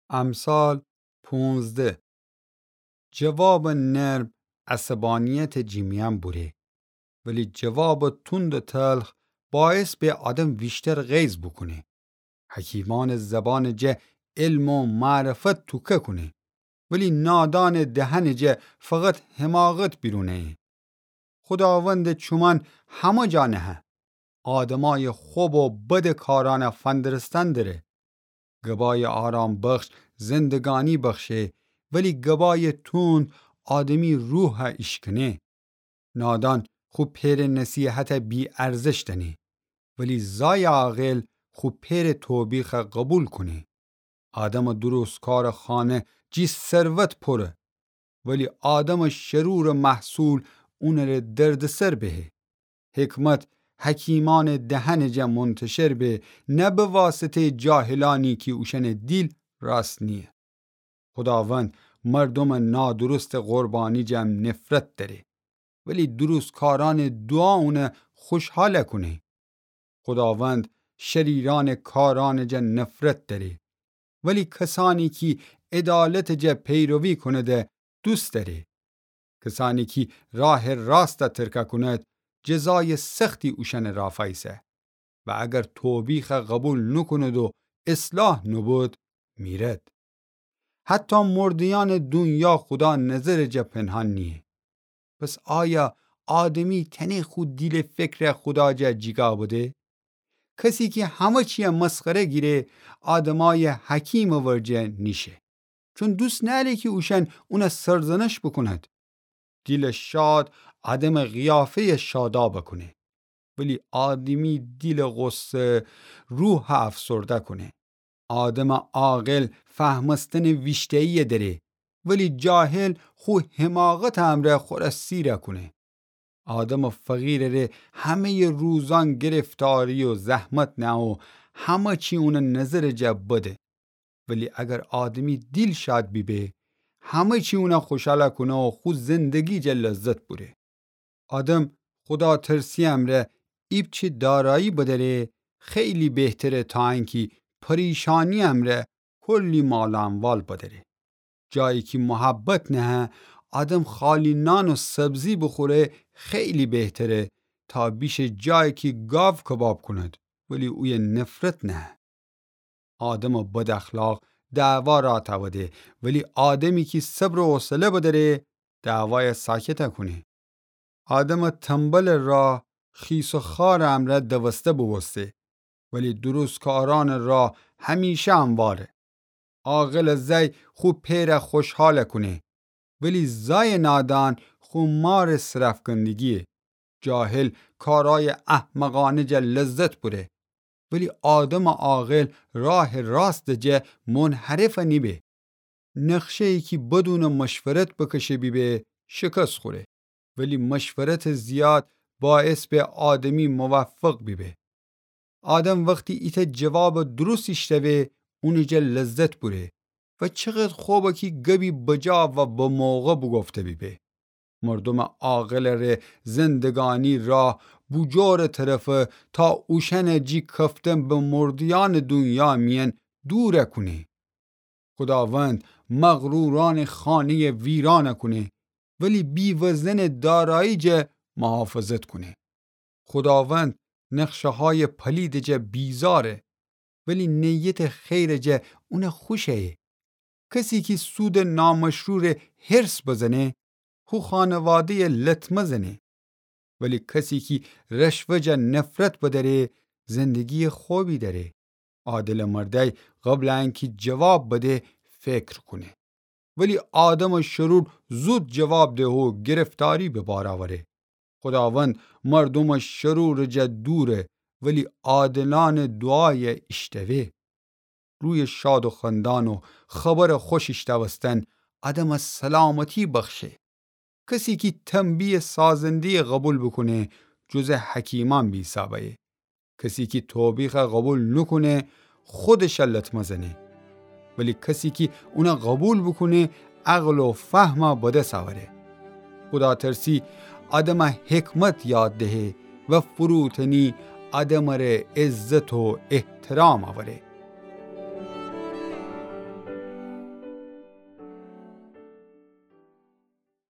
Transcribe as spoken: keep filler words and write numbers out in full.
امثال پونزده. جوابٚ نرم عصبانیتٚ جٚه میأن بوره، ولی جوابٚ توندٚ تلخ باعث به آدم ویشتر غیظ بوکونه. حکیمأنٚ زبانٚ جا علم و معرفت توکه کونه، ولی نادانٚ دهنٚ جا فقط حماقت بیرون ایه. خوداوندٚ چومأن همه جا نهه. آدمأیٚ خب و بدٚ کارأنَ فندرستن دره. گبایٚ آرام‌بخش زندگانی بخشه، ولی گبایٚ توند آدمی روحَ ایشکنه. نادان خو پئرٚ نصیحتَ بی‌ارزش دأنه، ولی زایٚ عاقل خو پئرٚ توبیخَ قوبیل کونه. آدمٚ درستکارٚ خانه جٚه ثروت پوره، ولی آدمٚ شرورٚ محصول اونٚ ره دردسر بهه. حکمت حکیمأنٚ دهنٚ جا منتشر به، نه به واسطه‌یٚ جاهلأنی کی اوشأنٚ دیل راست نییه. خوداوند مردومٚ نادرستٚ قربانی جا نفرت دأره، ولی درستکارأنٚ دوعا اونَ خوشحال کونه. خوداوند شریرأنٚ کارأنٚ جا نفرت دأره، ولی کسأنی کی عدالتٚ جا پیروی کونده دوست دأره. کسأنی کی راهٚ راستَ ترکَ کونید، جزایٚ سختی اوشأنٚ رافایسه. و اگر توبیخَ قوبیل نوکونید و اصلاح نوبود، میرد. حتی مرده‌یأنٚ دونیا خودا نظرٚ جا پنهان نییه. پس آیا آدمی تأنه خو دیل و فکرَ خودا جا جیگا بده؟ کسی کی همه چیَ مسخره گیره، آدمأیٚ حکیمٚ ورجه نیشه، چون دوست نأره کی اوشأن اونَ سرزنش بوکونید. دیلٚ شاد آدمٚ قیافه‌یَ شادابَ کونه، ولی آدمی دیلٚ غصه روحَ افسرده کونه. آدمٚ عاقل فهمستنٚ ویشته‌یی دأره، ولی جاهل خو حماقتٚ امرأ خورَ سیرَ کونه. آدمٚ فقیرٚ ره همه‌یٚ روزأن گرفتاری و زحمت نأه و همه چی اونٚ نظرٚ جا بده. ولی اگر آدمی دیل شاد بیبه، همه چی اونَ خوشحال کونه و خو زندگی جا لذت بوره. آدم خوداترسی‌یٚ امرأ ایپچه دارایی بدأره، خیلی بهتره تا انکی پریشانی‌یٚ امرأ کلی مال و اموال بدأره. جایی کی محبت نهه، آدم خالی نان و سبزی بوخوره، خیلی بهتره تا بیشه جایی کی گاو کباب کونید، ولی اویه نفرت نهه. آدمٚ بداخلاق دعوا راه تأوده، ولی آدمی کی صبر و حوصله بدأره، دعوایَ ساکتَ کونه. آدمٚ تنبلٚ راه خیس و خوارٚ امرأ دوسته بوبوسته، ولی درستکارأنٚ راه همیشه همواره. عاقلٚ زأی خو پئرَ خوشحال کونه، ولی زأیٚ نادان خو مارٚ سرأفکندگییه. جاهل کارأیٚ احمقأنه جا لذت بوره، ولی آدمٚ عاقل راهٚ راستٚ جا منحرف نیبه. نقشه‌یی کی بدونٚ مشورت بکشه بیبه، شکست خوره، ولی مشورتٚ زیاد باعث به آدمی موفق بیبه. آدم وختی ایتأ جوابٚ درست ایشتأوه، اونٚ جا لذت بوره و چقدر خوبه کی گبی بجا و بموقع بوگفته بیبه. مردومٚ عاقلٚ ره زندگانی راه بوجورٚ طرفه تا اوشأنٚ جی کفتن به مرده‌یأنٚ دونیا میأن دورَ کونه. خوداوند مغرورأنٚ خانه‌یَ ویرانَ کونه، ولی بی‌وزنٚ دارایی جا محافظت کونه. خوداوند نقشه‌هایٚ پلیدٚ جا بیزاره، ولی نیتٚ خیرٚ جا اونَ خوش ایه. کسی کی سودٚ نامشروع ره حرص بزنه، خو خانواده‌یَ لطمه زنه. ولی کسی کی رشوه جا نفرت بدأره، زندگییٚ خوبی دأره. عادلٚ مردأی قبلٚ انکی جواب بده، فکر کونه. ولی آدمٚ شرور زود جواب دهه و گرفتاری به بار اوره. خوداوند مردومٚ شرورٚ جا دوره، ولی عادلأنٚ دوعایَ ایشتأوه. روی شاد و خندان و خبرٚ خوش ایشتأوستن آدمَ سلامتی بخشه. کسی کی تنبیهٚ سازنده‌یَ قوبیل بوکونه، جزء حکیمأن بیسابه. کسی کی توبیخَ قوبیل نوکونه، خودشَ لطمه زنه. ولی کسی کی اونَ قوبیل بوکونه، عقل و فهمَ بدس اوره. خوداترسی آدمَ حکمت یاد دهه و فروتنی آدمٚ ره عزت و احترام اوره.